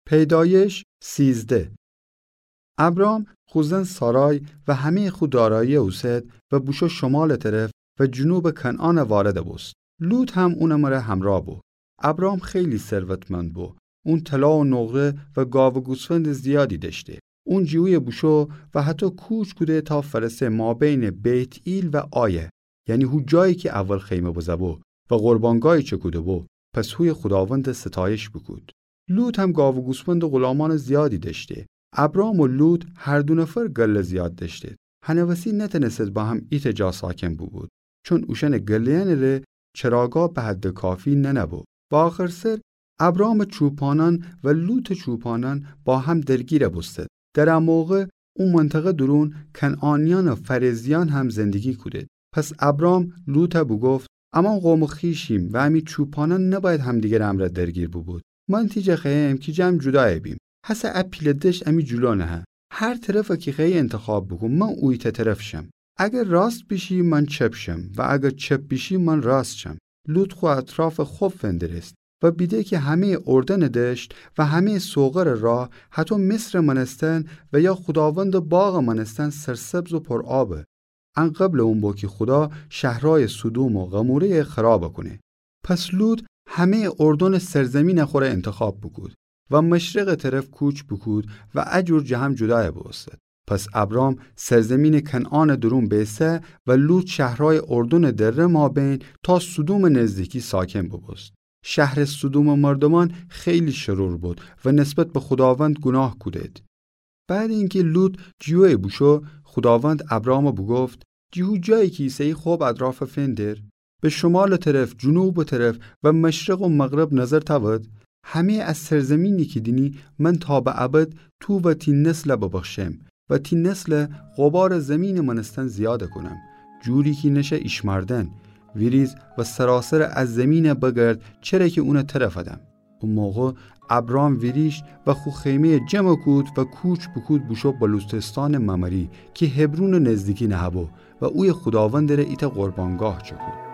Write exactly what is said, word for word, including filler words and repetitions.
پیدایش سیزده. ابرام خو زن سارای و همه‌یٚ خو دارایی اوسد و بوشو شمالٚ طرف و جنوبٚ کنعان وارد بوست. لوط هم اونٚ مره همراه بو. ابرام خیلی ثروتمند بو. اون طلا و نقره و گاو و گوسفندٚ زیادی دأشته. اون جیویه بوشو و هتو کوچ کوده تا فأرسه مابینٚ بیت‌ئیل و آی، یعنی هو جایی کی اول خیمه بزه‌بو و قربانگاهی چکوده‌بو، پس هویه خوداوندٚ ستایش بوکود. لوط هم گاو و گوسفندٚ غلامأنٚ زیادی دأشته. ابرام و لوط هر دو نفر گله زیاد دأشتید. هنٚ وسی نتأنستید با هم ایتأ جا ساکن بوبود، چون اوشأنٚ گله‌یأنٚ ره چراگاه به حدٚ کافی ننه‌بو. و آخرسر ابرامٚ چوپانأن و لوطٚ چوپانأن با هم درگیر بوستید. در ا موقع او منطقه درون کنعانیأن و فرزیأن هم زندگی کودید. پس ابرام لوطَ بوگفت: امان قومٚ خویشیم و امی چوپانأن نبأید همدیگرٚ امرأ درگیر بوبود. من تی جا خوأیم کی جمع جودای بیم. هسه ا پیله دشت امی جلو نهه. هر طرفَ کی خوأیی انتخاب بوکون، من اویتأ طرف شم. اگر راست بیشی، من چپ شم و اگر چپ بیشی، من راست شم. لوط خو اطرافَ خب فندرست و بیده کی همه‌یٚ اردنٚ دشت و همه‌یٚ سوغرٚ راه، هتو مصرٚ مأنستن و یا خوداوندٚ باغٚ مأنستن سرسبز و پر آبه. ان قبلٚ اون بو کی خودا شهرأیٚ سدوم و قموره‌یَ خرابَ کونه. پس لوط همه‌یٚ اردنٚ سرزمینَ خوره انتخاب بوکود و مشرقٚ طرف کوچ بوکود و ا جور جه هم جودای بوستد. پس ابرام سرزمینٚ کنعانٚ درون بیسه و لوط شهرأیٚ اردنٚ دره مابین تا سدومٚ نزدیکی ساکن بوبوست. شهرٚ سدومٚ مردومأن خیلی شرور بود و نسبت به خوداوند گوناه کودید. بعدٚ اینکی لوط جیویه بوشو، خوداوند ابرامَ بوگفت: جی هو جایی کی ایسه‌یی خب اطرافَ فندر. به شمالٚ طرف، جنوبٚ طرف و مشرق و مغرب نظر تأود. همه‌یٚ ا سرزمینی کی دینی، من تا به ابد تو و تی نسلَ ببخشم و تی نسلَ غبارٚ زیمینٚ مأنستن زیادَ کونم، جوری کی نشه ایشمأردن. ویریز و سراسرٚ ا زیمینَ بگرد، چره کی اونَ تره فدم. او موقع ابرام ویریشت و خو خیمه‌یَ جمع کود و کوچ بوکود بوشو بلوتستانٚ ممری کی حبرونٚ نزدیکی نهه‌بو و اویه خوداوندٚ ره ایتأ قربانگاه چکود.